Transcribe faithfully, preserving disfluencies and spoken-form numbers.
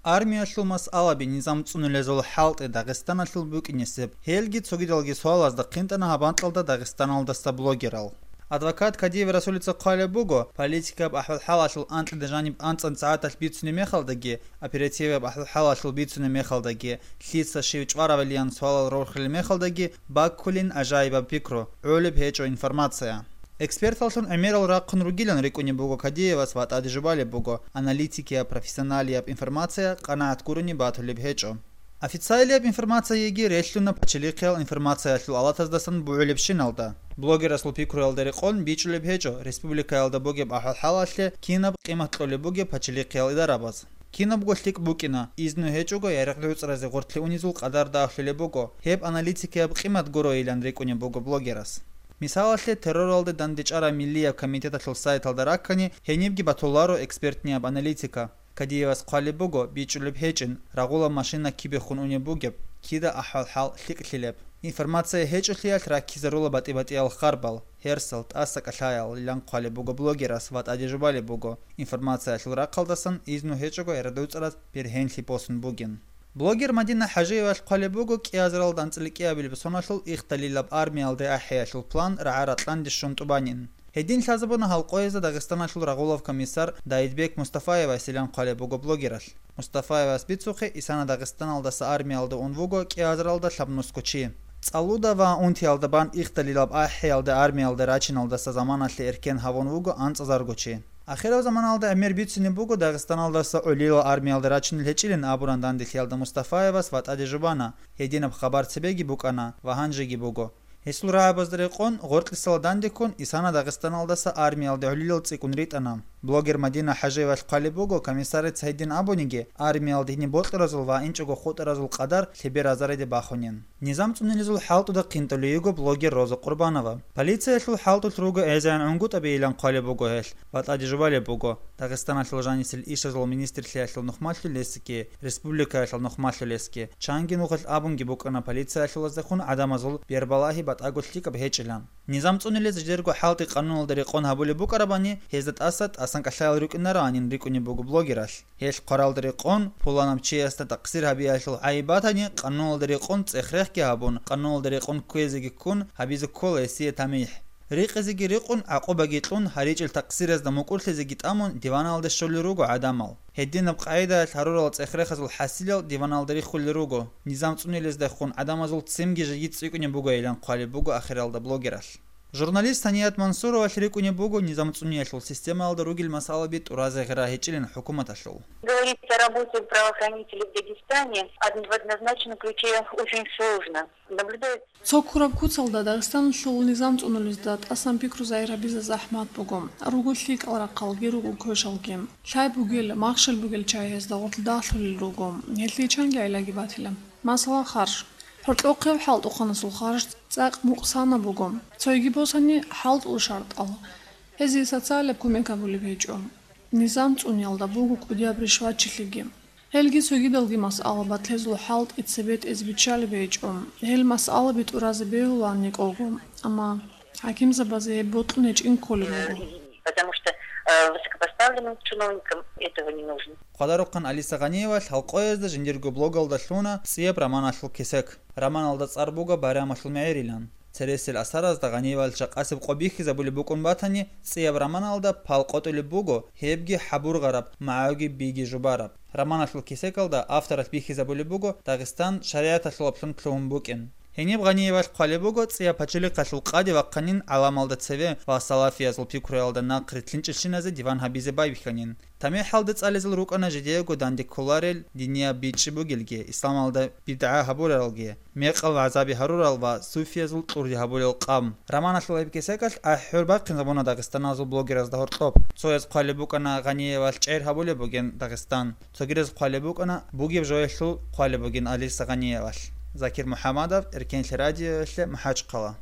Армиялъул масъалаби низам цӀунулезул хӀалтӀи Дагъистаналъул букӀинесеб, гьелги цогидалги суалазда хъинтӀана гьаб анкьалда Дагъистаналдаса блогерал. Адвокат Кадиев Расулица хъвалеб буго, политикаб ахӀвал-хӀалалъул анкьида жаниб анцӀан сагӀаталъ бицунеб мехалдаги, оперативаб ахӀвал-хӀалалъул бицунеб мехалдаги, лъица щив чӀваравилан суалал рорхилеб мехалдаги баккулин гӀажаибаб пикру, гӀолеб гьечӀо информация. Эксперталлъун гӀемерал рахъун ругилан рикӀкӀунеб буго Кадиевас ва тӀаде жубалеб буго, аналитикияб, профессионалияб информация къанагӀат гурони батулеб гьечӀо. Официалияб информациеги релълъуна пачалихъиял информациялъул алатаздасан бугӀулебщиналда. Блогерасул пикруялда рекъон бичӀчӀулеб гьечӀо республикаялда бугеб ахӀвал-хӀалалъе кинаб къимат кьолеб бугеб пачалихъиял идарабаз. Кинабго лъикӀ букӀина, изну гьечӀого ярагъ-гӀуцӀразе гъоркье унезул къадар дагьлъулеб буго, гьеб аналитикияб къимат гуроилан рикӀкӀунеб буго блогерас. Мисалалъе, терроралде дандечӀараб Миллияб комитеталъул сайталда раккани, гьенибги батуларо экспертнияб аналитика. Кадиевас хъвалеб буго, бичӀчӀулеб гьечӀин, рагъулаб машина кибехун унеб бугеб, кида ахӀвал-хӀал лъикӀлъилеб. Информация гьечӀолъиялъ раккизарула батӀи-батӀиял харбал, гьерсал, тӀаса кӀалъаялилан хъвалеб буго блогерас ва тӀаде жубалеб буго, информациялъул рахъалдасан изну гьечӀого ярагъ-гӀуцӀраз бергьенлъи босун бугин. Блогер Мадина ХӀажиевалъ хъвалеб буго кӀиазаралда анцӀила кӀиабилеб соналъул Ихталилаб армиялде ахӀиялъул план рагӀа-ратӀлъанде щун тӀубанин. Гьедин лъазабуна гьал къоязда Дагъистаналъул рагъулав комиссар Даидбек Мустафаевасилан хъвалеб буго блогералъ. Мустафаевас бицухъе, исана Дагъистаналдаса армиялда ун вуго кӀиазаралда лъабнусго чи. ЦӀалуда ва унтиялда бан Ихталилаб ахӀиялде армиялда рачиналдаса заманалъе эркен гьавун вуго анцӀазарго чи. Ахирав заманалда гӀемер бицунеб буго Дагъистаналдаса гӀолилал армиялда рачунел гьечӀилин абуран данделъиялда Мустафаевас ва тӀаде жубана, гьединаб хабар цебеги букӀана ва гьанжеги буго. Гьесул рагӀабазда рекъон, гъоркьисала дандеккун, исана Дагъистаналдаса армиялде гӀолилал цӀикӀкӀун ритӀана. Блогер Мадина ХӀажиевалъ хъвалеб буго, комиссарица гьедин абуниги, армиялда гьениб бокьаразул ва инчӀого хутӀаразул къадар лъебер азариде бахунин. Низам цӀунилезул хӀалтӀуда хъинтӀулей йиго блогер Роза Къурбанова. Полициялъул хӀалтӀулъ руго гӀезегӀан гӀунгутӀабейилан хъвалеб буго гьелъ ва тӀаде жубалеб буго, Дагъистаналъул жанисел ишазул министрлъиялъул нухмалъулесги, республикаялъул нухмалъулесги, чанги нухалъ абунги букӀана полициялъулаздехун гӀадамазул бербалагьи батӀаго лъикӀаб гьечӀилан. Низам цӀунилез жидерго хӀалтӀи къануналда рекъон гьабулеб букӀарабани, гьезда тӀаса тӀасан кӀалъаял рукӀинароанин рикӀкӀунеб буго блогералъ. Гьелъ хъваралда рекъон, пуланаб чиясда такъсир гьабиялъул гӀайиб батани, къануналда рекъон цӀех-рехги гьабун, къануналда рекъон кквезеги ккун, гьабизе ккола гьесие тамихӀ. Рикъизеги рикъун, гӀакъубаги кьун, гьаричӀел такъсиразда мукӀурлъизеги тӀамун, диваналде щолел руго гӀадамал. Гьединаб къагӀидаялъ гьарурал цӀех-рехазул хӀасилал диваналда риххулел руго. Низам цӀунилездехун гӀадамазул ццинги жеги цӀикӀкӀунеб бугойилан хъвалеб буго ахиралда блогералъ. Журналист Саният Мансуровалъ рикӀкӀунеб буго низам цӀуниялъул системаялда ругел масъалаби тӀуразе гъира гьечӀилин хӀукуматалъул. Говорить о работе правоохранителей в Дагестане од-, в однозначном ключе очень сложно. Наблюдается Цо ккураб куцалда Дагъистаналъул низам цӀунулезда тӀасан пикру загьир гьабизе захӀмат буго. Руго лъикӀал рахъалги, руго квешалги. Лъай бугел, махщел бугел чагӀи гьезда гъорлъ дагьлъулел руго. Гьелъие чанги гӀиллаги батила. Масала, харж. Гьоркьохъеб хӀалтӀухъанасул харж цӀакъ мукъсанаб буго. Цойги босани, хӀалтӀул шартӀал. Гьезие социалаб кумек гьабулеб гьечӀо. Низам цӀуниялда буго кӀудияб ришватчилъиги. Гьелги цогидалги масъала батлъезул хӀалтӀи цебетӀезе биччалеб гьечӀо. Гьел масъалаби тӀуразе бегьулаан никӀого, амма хӀакимзабазе гьеб бокьун гьечӀин кколеб буго. Потому что, э, высокопоставленным чиновникам этого не нужно. Хъвадарухъан Алиса Гъаниевалъ гьалкъоязда жиндирго блогалда лъуна цӀияб романалъул кесек. Романалда цӀар буго «Байрамалъул мегӀерилан». Цересел асаразда Гъаниевалъ жакъасеб къо бихьизабулеб букӀун батани, цӀияб романалда пал къотӀулеб буго, гьебги хӀабургъараб, магӀуги биги жубараб. Романалъул кесекалда авторалъ бихьизабулеб буго Дагъистан шаригӀаталъулаблъун лъугьун букӀин. Гьениб Гъаниевалъ хъвалеб буго, цӀияб пачалихъалъул къаде вахъанин гӀаламалда цеве ва салафиязул пикруялда нахъ рилълъинчӀелщиназе диван гьабизе байбихьанин. ТамихӀалда цӀализал рукӀана жидеего данде кколарел динияб бичӀчӀи бугелги, исламалда бидгӀа гьабуралги, мекъал вагӀзаби гьарурал ва суфиязул кьурди гьабулел къам. Романалъул гьеб кесекалъ ахӀи-хӀур бахъинзабуна дагъистаназул блогеразда гьоркьоб. Цояз хъвалеб букӀана Гъаниевалъ чӀегӀер гьабулеб бугин Дагъистан. Цогидаз хъвалеб букӀана бугеб жоялъул хъвалеб бугин Алиса Гъаниевалъ. Закир МухӀамадов, Эркенлъи радиоялъе, МахӀачхъала.